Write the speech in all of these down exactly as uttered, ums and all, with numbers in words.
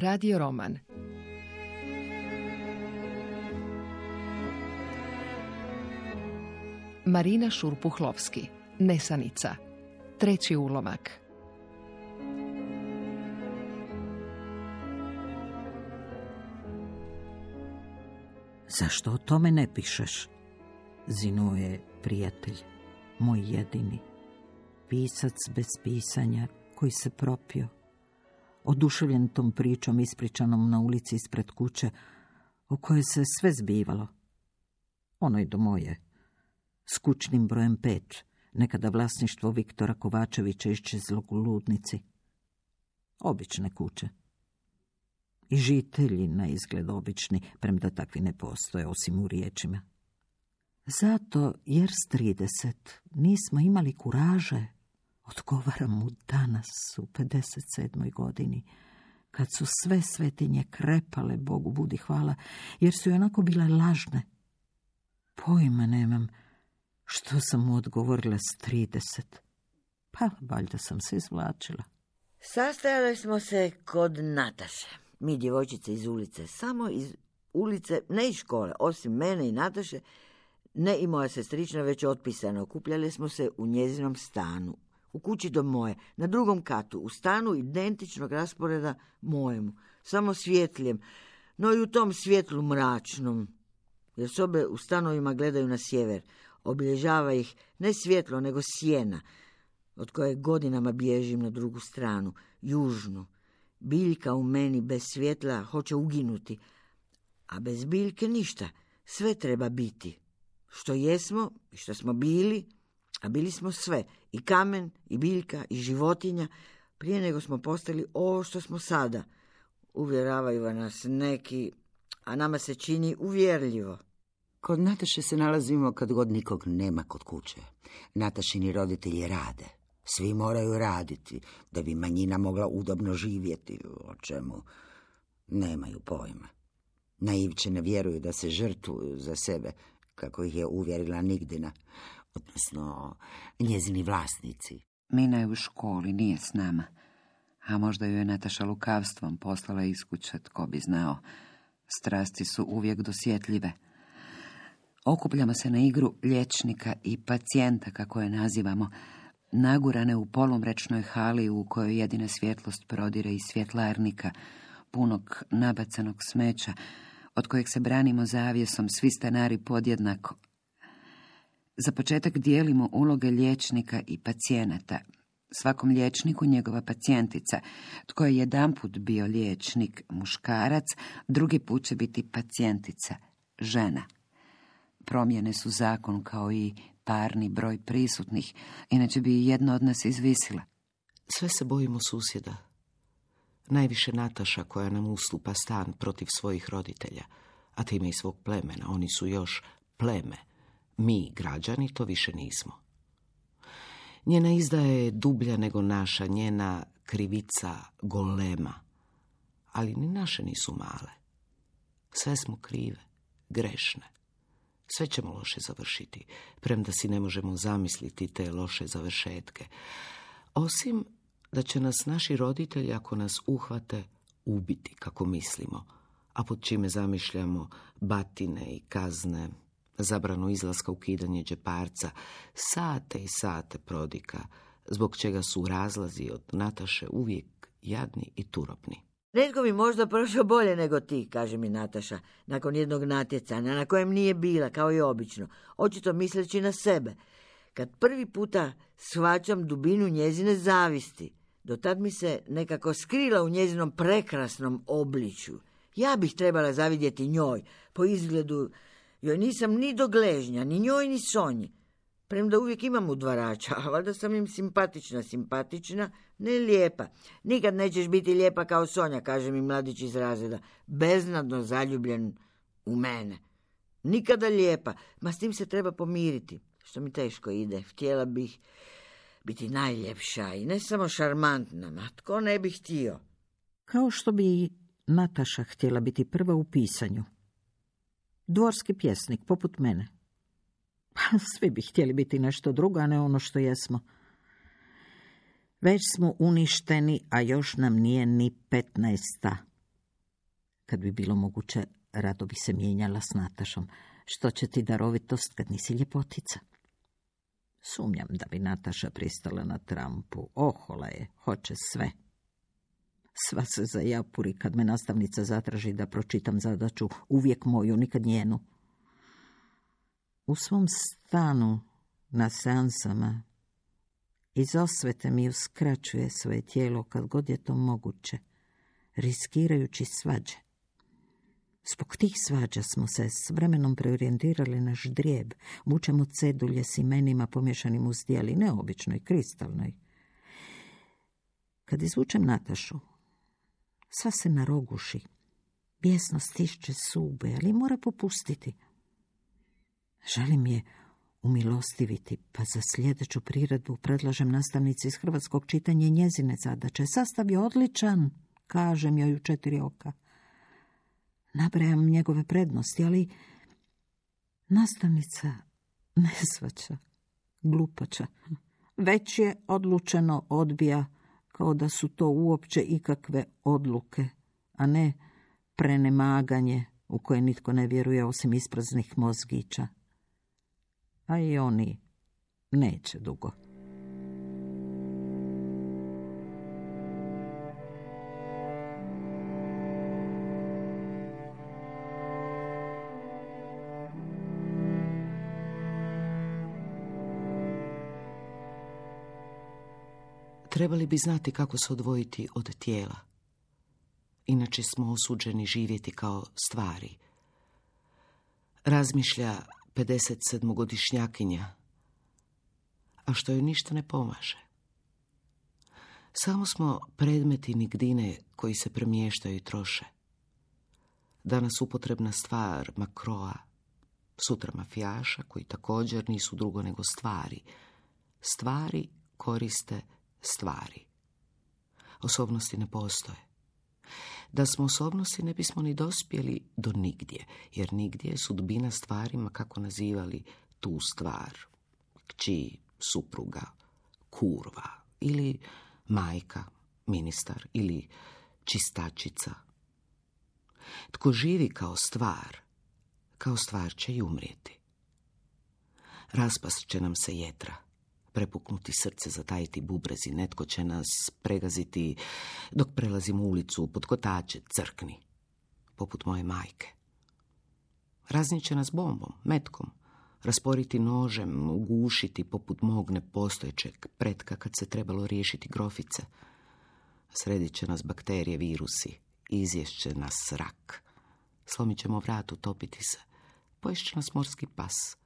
Radio roman. Marina Šurpuhlovski. Nesanica. Treći ulomak. Zašto o tome ne pišeš? Zinuo je prijatelj, moj jedini. Pisac bez pisanja koji se propio. Oduševljen tom pričom ispričanom na ulici ispred kuće, o kojoj se sve zbivalo. Ono i do moje. S kućnim brojem pet, nekada vlasništvo Viktora Kovačevića iščezlog u Ludnici. Obične kuće. I žitelji na izgled obični, premda takvi ne postoje, osim u riječima. Zato, jer s trideset nismo imali kuraže, odgovaram mu danas u pedeset sedmoj godini, kad su sve svetinje krepale, Bogu budi hvala, jer su i onako bile lažne. Pojma nemam što sam mu odgovorila s trideset. Pa, valjda sam se izvlačila. Sastajali smo se kod Nataše. Mi djevojčice iz ulice, samo iz ulice, ne iz škole, osim mene i Nataše, ne i moja sestrična, već otpisana. Okupljali smo se u njezinom stanu, u kući do moje, na drugom katu, u stanu identičnog rasporeda mojemu, samo svjetljem, no i u tom svjetlu mračnom, jer sobe u stanovima gledaju na sjever. Obilježava ih ne svjetlo, nego sjena, od koje godinama bježim na drugu stranu, južnu. Biljka u meni bez svjetla hoće uginuti, a bez biljke ništa, sve treba biti. Što jesmo i što smo bili, a bili smo sve, i kamen, i biljka, i životinja, prije nego smo postali ovo što smo sada. Uvjeravaju nas neki, a nama se čini uvjerljivo. Kod Nataše se nalazimo kad god nikog nema kod kuće. Natašini roditelji rade. Svi moraju raditi da bi manjina mogla udobno živjeti, o čemu nemaju pojma. Naivče ne vjeruju da se žrtvuju za sebe, kako ih je uvjerila Nigdina, odnosno njezini vlasnici. Mina je u školi, nije s nama. A možda ju je Nataša lukavstvom poslala iz kuće, tko bi znao. Strasti su uvijek dosjetljive. Okupljamo se na igru liječnika i pacijenta, kako je nazivamo, nagurane u polumrečnoj hali u kojoj jedina svjetlost prodire iz svjetlarnika, punog nabacanog smeća, od kojeg se branimo zavjesom svi stanari podjednako. Za početak dijelimo uloge liječnika i pacijenata. Svakom liječniku njegova pacijentica, tko je jedanput bio liječnik, muškarac, drugi put će biti pacijentica, žena. Promjene su zakon kao i parni broj prisutnih, inače bi jedna od nas izvisila. Sve se bojimo susjeda. Najviše Nataša koja nam ustupa stan protiv svojih roditelja, a time i svog plemena. Oni su još pleme. Mi, građani, to više nismo. Njena izdaja je dublja nego naša, njena krivica golema. Ali ni naše nisu male. Sve smo krive, grešne. Sve ćemo loše završiti, premda si ne možemo zamisliti te loše završetke. Osim da će nas naši roditelji, ako nas uhvate, ubiti kako mislimo, a pod čime zamišljamo batine i kazne, zabranu izlaska, ukidanje džeparca, sate i sate prodika, zbog čega su razlazi od Nataše uvijek jadni i turobni. Netko bi možda prošao bolje nego ti, kaže mi Nataša, nakon jednog natjecanja, na kojem nije bila, kao i obično, očito misleći na sebe. Kad prvi puta shvaćam dubinu njezine zavisti, do tad mi se nekako skrila u njezinom prekrasnom obličju. Ja bih trebala zavidjeti njoj, po izgledu joj nisam ni do gležnja, ni njoj ni Sonji. Premda uvijek imam udvarača, a valjda sam im simpatična, simpatična, ne lijepa. Nikad nećeš biti lijepa kao Sonja, kaže mi mladić iz razreda, beznadno zaljubljen u mene. Nikada lijepa, ma s tim se treba pomiriti, što mi teško ide. Htjela bih biti najljepša i ne samo šarmantna, ma tko ne bi htio. Kao što bi Nataša htjela biti prva u pisanju. Dvorski pjesnik, poput mene. Pa svi bi htjeli biti nešto drugo, a ne ono što jesmo. Već smo uništeni, a još nam nije ni petnaesta. Kad bi bilo moguće, rado bi se mijenjala s Natašom. Što će ti darovitost kad nisi ljepotica? Sumnjam da bi Nataša pristala na trampu. Ohola je, hoće sve. Sva se zajapuri kad me nastavnica zatraži da pročitam zadaću, uvijek moju, nikad njenu. U svom stanu na seansama iz osvete mi uskraćuje svoje tijelo kad god je to moguće, riskirajući svađe. Zbog tih svađa smo se s vremenom preorijentirali na ždrijeb. Vučemo cedulje s imenima pomješanim u zdjeli, neobičnoj, kristalnoj. Kad izvučem Natašu, sva se naroguši. Bijesno stišće zube, ali mora popustiti. Želim je umilostiviti, pa za sljedeću priredbu predlažem nastavnici iz hrvatskog čitanja i njezine zadaće. Sastav je odličan, kažem joj u četiri oka. Nabrajam njegove prednosti, ali nastavnica ne shvaća, glupača. Već je odlučeno, odbija, kao da su to uopće ikakve odluke, a ne prenemaganje u koje nitko ne vjeruje osim ispraznih mozgića. A i oni neće dugo. Trebali bi znati kako se odvojiti od tijela. Inače smo osuđeni živjeti kao stvari. Razmišlja pedesetsedmogodišnjakinja, a što joj ništa ne pomaže. Samo smo predmeti nigdine koji se premještaju i troše. Danas upotrebna stvar Makroa, sutra mafijaša koji također nisu drugo nego stvari. Stvari koriste stvari. Osobnosti ne postoje. Da smo osobnosti ne bismo ni dospjeli do nigdje, jer nigdje je sudbina stvarima kako nazivali tu stvar. Kći, supruga, kurva ili majka, ministar ili čistačica. Tko živi kao stvar, kao stvar će i umrijeti. Raspast će nam se jetra, prepuknuti srce, zatajiti bubrezi, netko će nas pregaziti dok prelazimo ulicu pod kotače, crkni, poput moje majke. Raznit će nas bombom, metkom, rasporiti nožem, ugušiti poput mog nepostojećeg pretka kad se trebalo riješiti grofice. Sredit će nas bakterije, virusi, izješće nas rak. Slomit ćemo vrat, utopiti se, poješće će nas morski pas,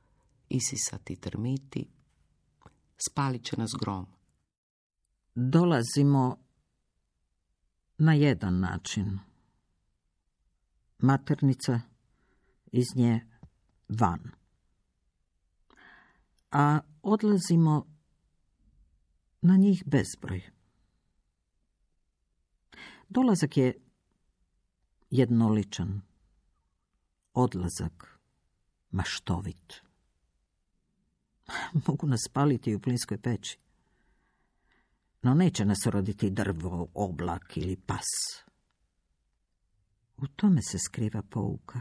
isisati termiti, spalit će nas grom. Dolazimo na jedan način. Maternica, iz nje van. A odlazimo na njih bezbroj. Dolazak je jednoličan. Odlazak maštovit. Mogu nas spaliti u plinskoj peći. No neće nas roditi drvo, oblak ili pas. U tome se skriva pouka.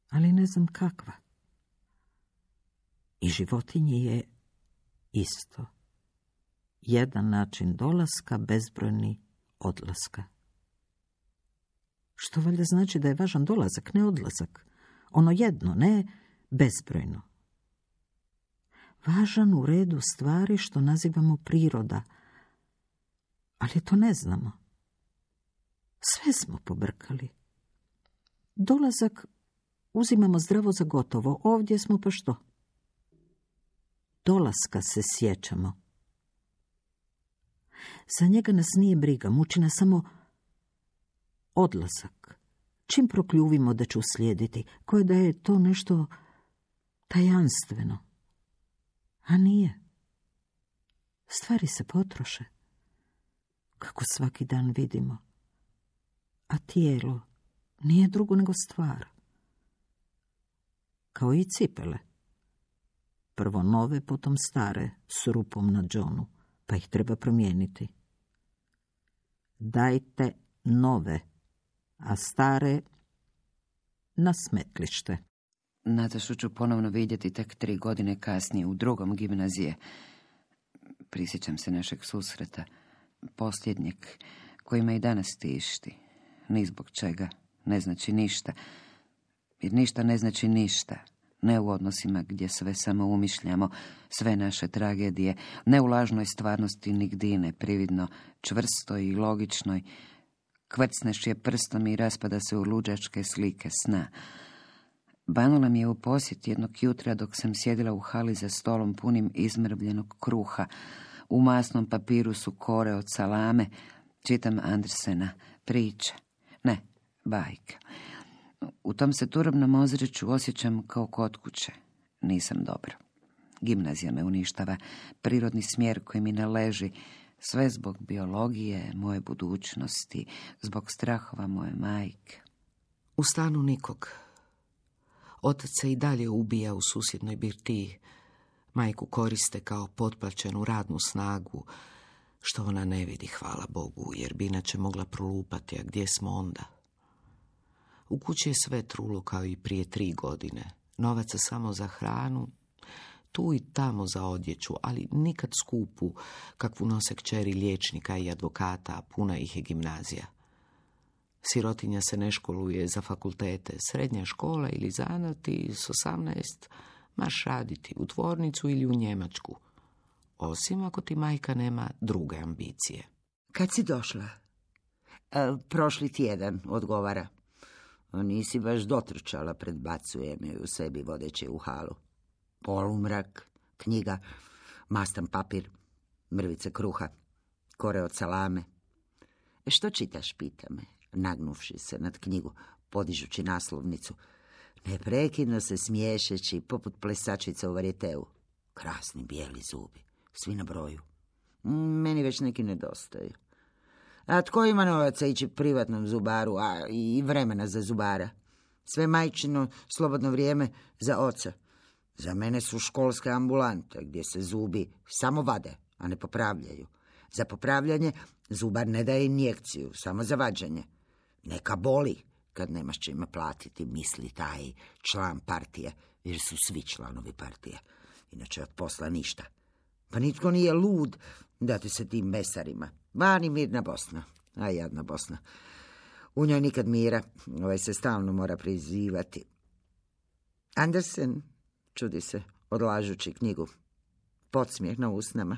Ali ne znam kakva. I životinji je isto. Jedan način dolaska, bezbrojni odlaska. Što valjda znači da je važan dolazak, ne odlazak. Ono jedno, ne bezbrojno. Važan u redu stvari što nazivamo priroda. Ali to ne znamo. Sve smo pobrkali. Dolazak uzimamo zdravo za gotovo. Ovdje smo pa što? Dolaska se sjećamo. Za njega nas nije briga, muči nas samo odlazak. Čim prokljuvimo da će uslijediti, koje da je to nešto tajanstveno. A nije. Stvari se potroše, kako svaki dan vidimo. A tijelo nije drugo nego stvar. Kao i cipele. Prvo nove, potom stare, s rupom na džonu, pa ih treba promijeniti. Dajte nove, a stare na smetlište. Natašu ću ponovno vidjeti tek tri godine kasnije u drugom gimnazije. Prisjećam se našeg susreta, posljednjeg, koji me i danas tišti. Ni zbog čega, ne znači ništa. Jer ništa ne znači ništa. Ne u odnosima gdje sve samo umišljamo, sve naše tragedije, ne u lažnoj stvarnosti nigdine, prividno, čvrstoj i logičnoj. Kvrcneš je prstom i raspada se u luđačke slike sna. Banula mi je u posjet jednog jutra dok sam sjedila u hali za stolom punim izmrvljenog kruha. U masnom papiru su kore od salame. Čitam Andersena, priče. Ne, bajke. U tom se turobnom ozračju osjećam kao kod kuće. Nisam dobro. Gimnazija me uništava, prirodni smjer koji mi ne leži, sve zbog biologije, moje budućnosti, zbog strahova moje majke. U stanu nikog. Otac se i dalje ubija u susjednoj birtiji. Majku koriste kao potplaćenu radnu snagu, što ona ne vidi, hvala Bogu, jer bi inače mogla prolupati, a gdje smo onda? U kući je sve trulo kao i prije tri godine. Novaca samo za hranu, tu i tamo za odjeću, ali nikad skupu, kakvu nose kćeri liječnika i advokata, a puna ih je gimnazija. Sirotinja se ne školuje za fakultete, srednja škola ili zanati s osamnaest, maš raditi u tvornicu ili u Njemačku. Osim ako ti majka nema druge ambicije. Kad si došla? E, prošli tjedan, odgovara. Nisi baš dotrčala, predbacuje me u sebi vodeće u halu. Polumrak, knjiga, mastan papir, mrvice kruha, kore od salame. E, što čitaš, pita me, nagnuvši se nad knjigu, podižući naslovnicu. Neprekidno se smiješeći, poput plesačica u varijeteu. Krasni bijeli zubi, svi na broju. Meni već neki nedostaju. A tko ima novaca ići privatnom zubaru, a i vremena za zubara? Sve majčino slobodno vrijeme za oca. Za mene su školske ambulante, gdje se zubi samo vade, a ne popravljaju. Za popravljanje zubar ne daje injekciju, samo za vađenje. Neka boli kad nemaš čime platiti, misli taj član partije, jer su svi članovi partije. Inače od posla ništa. Pa nitko nije lud dati se tim mesarima. Vani mirna Bosna, a jadna Bosna. U njoj nikad mira, ovaj se stalno mora prizivati. Andersen, čudi se, odlažući knjigu. Podsmijeh na usnama.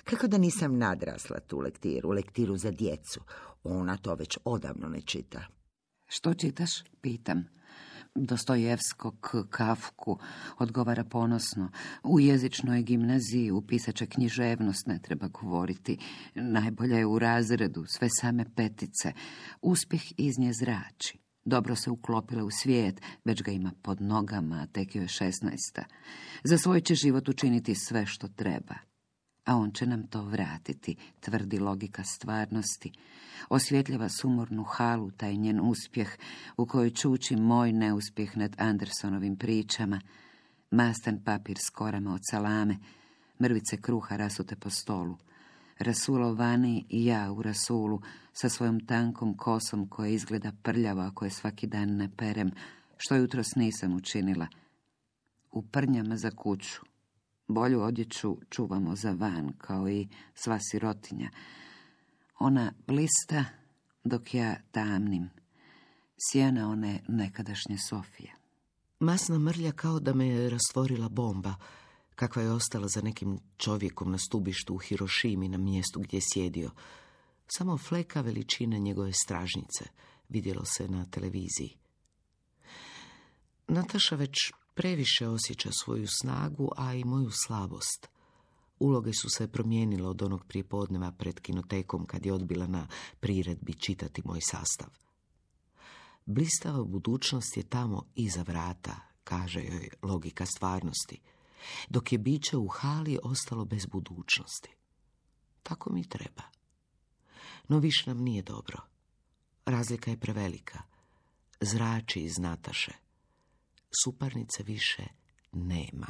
Kako da nisam nadrasla tu lektiru, lektiru za djecu. Ona to već odavno ne čita. Što čitaš? Pitam. Dostojevskog, Kafku, odgovara ponosno. U jezičnoj gimnaziji u pisače književnost ne treba govoriti. Najbolja je u razredu, sve same petice. Uspjeh iz nje zrači. Dobro se uklopila u svijet, već ga ima pod nogama, a tek joj je šesnaesta. Za svoj će život učiniti sve što treba. A on će nam to vratiti, tvrdi logika stvarnosti. Osvjetljava sumornu halu, taj njen uspjeh, u kojoj čuči moj neuspjeh nad Andersonovim pričama. Mastan papir s korama od salame, mrvice kruha rasute po stolu. Rasulo vani i ja u rasulu, sa svojom tankom kosom koja izgleda prljavo ako je svaki dan ne perem, što jutros nisam učinila. U prnjama za kuću. Bolju odjeću čuvamo za van, kao i sva sirotinja. Ona blista dok ja tamnim. Sjena one nekadašnje Sofije. Masna mrlja kao da me je rastvorila bomba, kakva je ostala za nekim čovjekom na stubištu u Hirošimi na mjestu gdje je sjedio. Samo fleka veličine njegove stražnice vidjelo se na televiziji. Nataša već previše osjeća svoju snagu, a i moju slabost. Uloge su se promijenile od onog prijepodneva pred kinotekom kad je odbila na priredbi čitati moj sastav. Blistava budućnost je tamo iza vrata, kaže joj logika stvarnosti, dok je biće u hali ostalo bez budućnosti. Tako mi treba. No više nam nije dobro. Razlika je prevelika. Zrači iz Nataše. Suparnice više nema.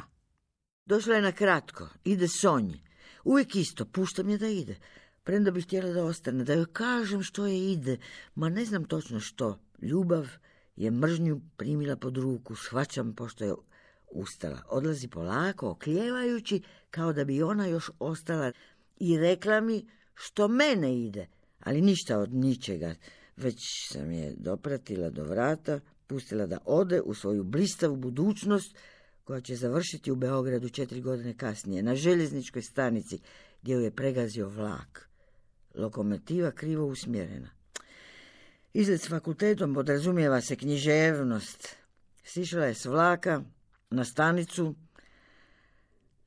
Došla je na kratko, ide Sonji. Uvijek isto, puštam je da ide. Premda bih htjela da ostane, da joj kažem što je ide, ma ne znam točno što. Ljubav je mržnju primila pod ruku, shvaćam pošto je ustala. Odlazi polako, oklijevajući, kao da bi ona još ostala, i rekla mi što mene ide, ali ništa od ničega. Već sam je dopratila do vrata, pustila da ode u svoju blistavu budućnost, koja će završiti u Beogradu četiri godine kasnije, na željezničkoj stanici, gdje ju je pregazio vlak. Lokomotiva krivo usmjerena. Izlet s fakultetom podrazumijeva se književnost. Sišla je s vlaka na stanicu,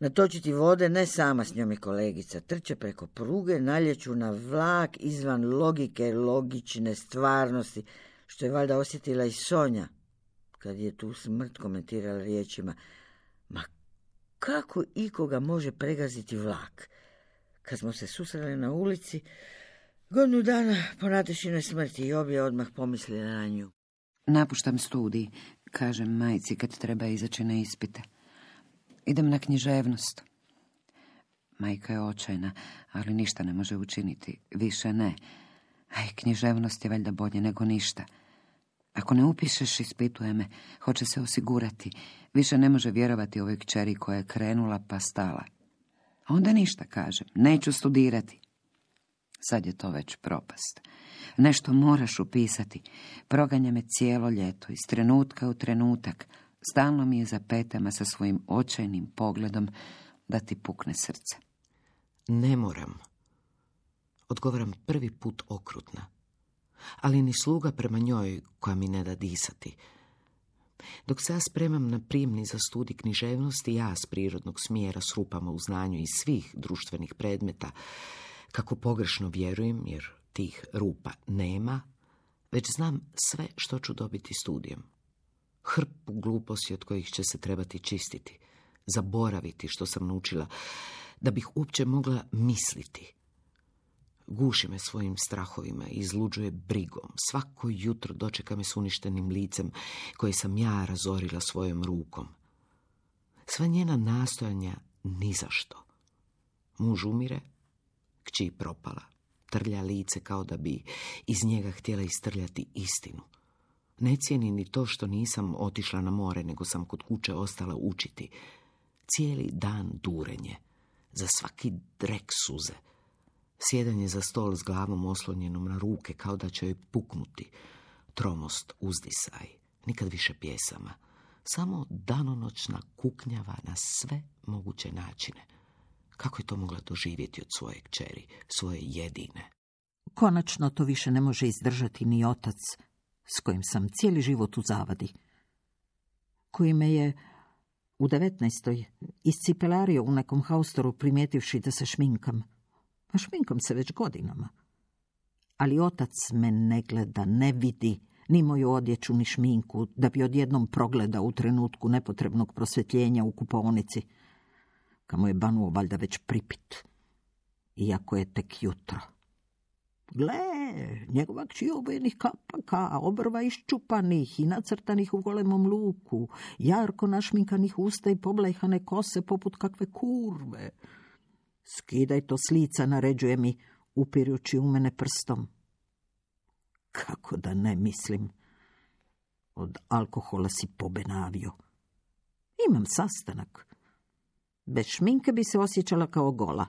natočiti vode, ne sama, s njom i kolegica. Trče preko pruge, naljeću na vlak izvan logike, logične stvarnosti, što je valjda osjetila i Sonja, kad je tu smrt komentirala riječima: ma kako ikoga može pregaziti vlak? Kad smo se susreli na ulici, godinu dana po Natešinoj smrti, i obje odmah pomislili na nju. Napuštam studij, kažem majci kad treba izaći na ispite. Idem na književnost. Majka je očajna, ali ništa ne može učiniti. Više ne. Aj, književnost je valjda bolje nego ništa. Ako ne upišeš, ispituje me, hoće se osigurati. Više ne može vjerovati ovoj kćeri koja je krenula pa stala. Onda ništa, kažem, neću studirati. Sad je to već propast. Nešto moraš upisati. Proganja me cijelo ljeto, iz trenutka u trenutak. Stalno mi je za petama sa svojim očajnim pogledom da ti pukne srce. Ne moram. Odgovaram prvi put okrutna. Ali ni sluga prema njoj koja mi ne da disati. Dok se ja spremam na prijemni za studij književnosti, ja s prirodnog smjera s rupama u znanju iz svih društvenih predmeta, kako pogrešno vjerujem, jer tih rupa nema, već znam sve što ću dobiti studijem. Hrpu gluposti od kojih će se trebati čistiti, zaboraviti što sam naučila, da bih uopće mogla misliti. Guši me svojim strahovima i izluđuje brigom. Svako jutro dočeka me s uništenim licem koje sam ja razorila svojom rukom. Sva njena nastojanja ni za što. Muž umire, kći propala, trlja lice kao da bi iz njega htjela istrljati istinu. Ne cijeni ni to što nisam otišla na more, nego sam kod kuće ostala učiti. Cijeli dan durenje, za svaki drek suze. Sjedanje za stol s glavom oslonjenom na ruke, kao da će joj puknuti. Tromost, uzdisaj, nikad više pjesama. Samo danonoćna kuknjava na sve moguće načine. Kako je to mogla doživjeti od svoje kćeri, svoje jedine? Konačno to više ne može izdržati ni otac, s kojim sam cijeli život u zavadi, koji me je u devetnaestoj iscipelario u nekom haustoru primijetivši da se šminkam. A šminkam se već godinama. Ali otac me ne gleda, ne vidi ni moju odjeću, ni šminku, da bi odjednom progledao u trenutku nepotrebnog prosvjetljenja u kupaonici, kamo je banuo valjda već pripit, iako je tek jutro. Gle, njegova kći obojenih kapaka, obrva iščupanih i nacrtanih u golemom luku, jarko našminkanih usta i poblejhane kose poput kakve kurve. Skidaj to s lica, naređuje mi, upirući u mene prstom. Kako da ne mislim? Od alkohola si pobenavio. Imam sastanak. Bez šminke bi se osjećala kao gola.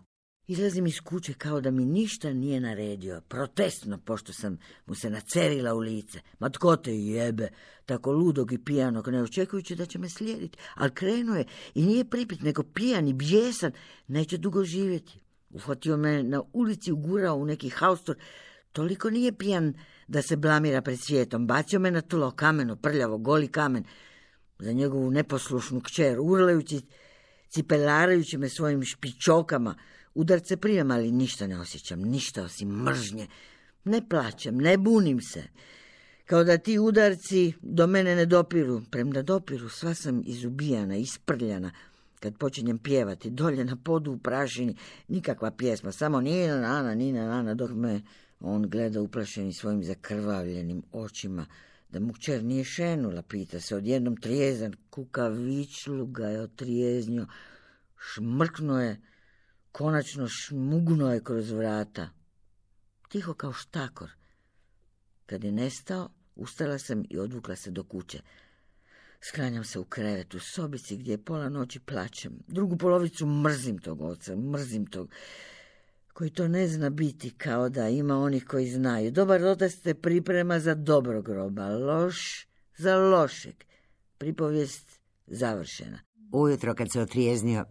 Izlazim iz kuće kao da mi ništa nije naredio, protestno, pošto sam mu se nacerila u lice. Ma tko te jebe, tako ludog i pijanog, ne očekujući da će me slijediti. Ali krenuo je i nije pripit, nego pijan i bijesan, neće dugo živjeti. Uhvatio me na ulici, ugurao u neki haustor, toliko nije pijan da se blamira pred svijetom. Bacio me na tlo, kameno, prljavo, goli kamen, za njegovu neposlušnu kćer, urlajući, cipelarajući me svojim špičokama. Udarce primam, ali ništa ne osjećam, ništa osim mržnje. Ne plaćam, ne bunim se. Kao da ti udarci do mene ne dopiru. Premda dopiru, sva sam izubijana, isprljana. Kad počinjem pjevati, dolje na podu u prašini, nikakva pjesma, samo nina nana, nina nana, dok me on gleda uplašeni svojim zakrvavljenim očima. Da mu kćer nije šenula, pita se, odjednom trijezan, kukavičlu ga je otrijeznio, šmrknuo je, konačno šmugnuo je kroz vrata. tiho kao štakor. Kad je nestao, ustala sam i odvukla se do kuće. Sklanjam se u krevet u sobici gdje je pola noći plačem. Drugu polovicu mrzim tog oca, mrzim tog koji to ne zna biti, kao da ima onih koji znaju. Dobar otac te priprema za dobrog groba, loš za lošeg. Pripovijest završena. Ujutro kad se otrijeznio,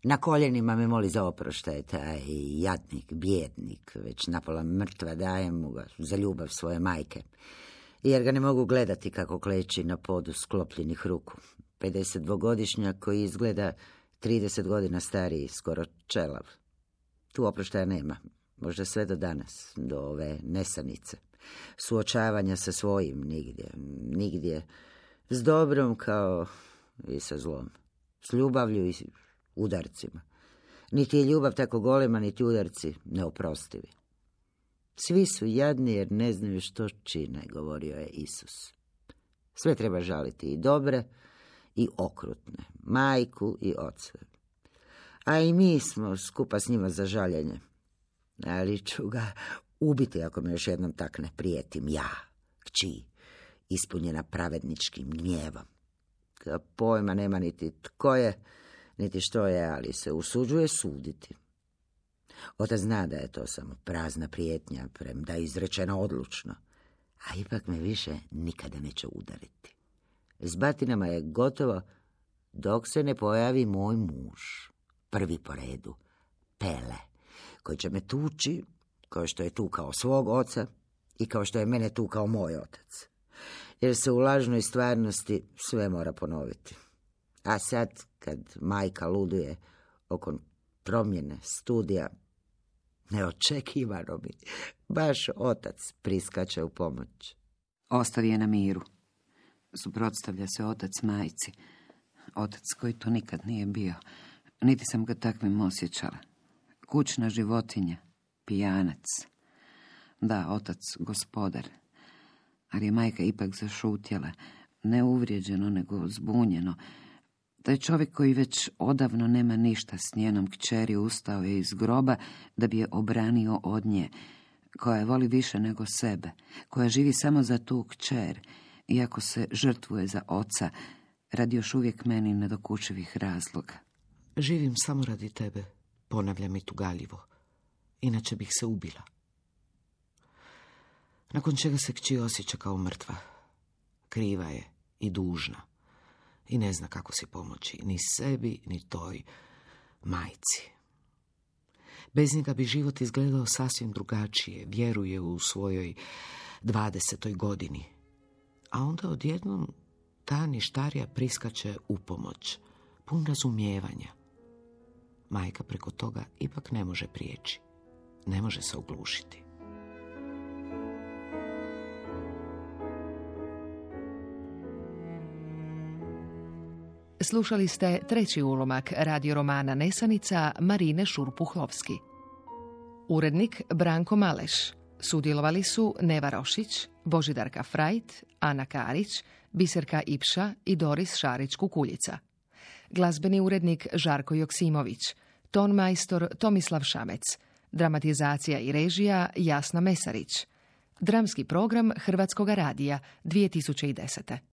na koljenima me moli za oproštaj, taj jadnik, bijednik, već napola mrtva, dajem mu ga za ljubav svoje majke. Jer ga ne mogu gledati kako kleči na podu sklopljenih ruku. pedesetdvogodišnjak koji izgleda trideset godina stariji, skoro čelav. Tu oproštaja nema, možda sve do danas, do ove nesanice. Suočavanja sa svojim nigdje, nigdje, s dobrom kao i sa zlom, s ljubavlju i udarcima. Niti je ljubav tako golema, niti udarci neoprostivi. Svi su jadni jer ne znaju što čine, govorio je Isus. Sve treba žaliti, i dobre i okrutne, majku i oca. A i mi smo skupa s njima za žaljenje. Ali ću ga ubiti ako me još jednom takne, prijetim ja, kći, ispunjena pravedničkim gnjevom. Kada pojma nema niti tko je, niti što je, ali se usuđuje suditi. Otac zna da je to samo prazna prijetnja, premda je izrečena odlučno, a ipak me više nikada neće udariti. S batinama je gotovo dok se ne pojavi moj muž, prvi po redu, Pele, koji će me tući kao što je tukao svog oca i kao što je mene tukao moj otac. Jer se u lažnoj stvarnosti sve mora ponoviti. A sad, kad majka luduje oko promjene studija, neočekivano mi baš otac priskače u pomoć. Ostavi je na miru. Suprotstavlja se otac majci. Otac koji to nikad nije bio. Niti sam ga takvim osjećala. Kućna životinja, pijanac. Da, otac gospodar. Ali je majka ipak zašutjela. Ne uvrijeđeno, nego zbunjeno. Taj čovjek koji već odavno nema ništa s njenom kćeri ustao je iz groba da bi je obranio od nje, koja je voli više nego sebe, koja živi samo za tu kćer, iako se žrtvuje za oca, radi još uvijek meni nedokučivih razloga. Živim samo radi tebe, ponavljam i tugaljivo, inače bih se ubila. Nakon čega se kći osjeća kao mrtva. Kriva je i dužna. I ne zna kako si pomoći, ni sebi, ni toj majci. Bez njega bi život izgledao sasvim drugačije, vjeruje u svojoj dvadesetoj godini. A onda odjednom ta ništarija priskače u pomoć, pun razumijevanja. Majka preko toga ipak ne može prijeći, ne može se oglušiti. Slušali ste treći ulomak radio romana Nesanica Marine Šurpuhlovski. Urednik Branko Maleš. Sudjelovali su Neva Rošić, Božidarka Frajt, Ana Karić, Biserka Ipša i Doris Šarić-Kukuljica. Glazbeni urednik Žarko Joksimović, ton majstor Tomislav Šamec, dramatizacija i režija Jasna Mesarić. Dramski program Hrvatskoga radija dvije tisuće desete.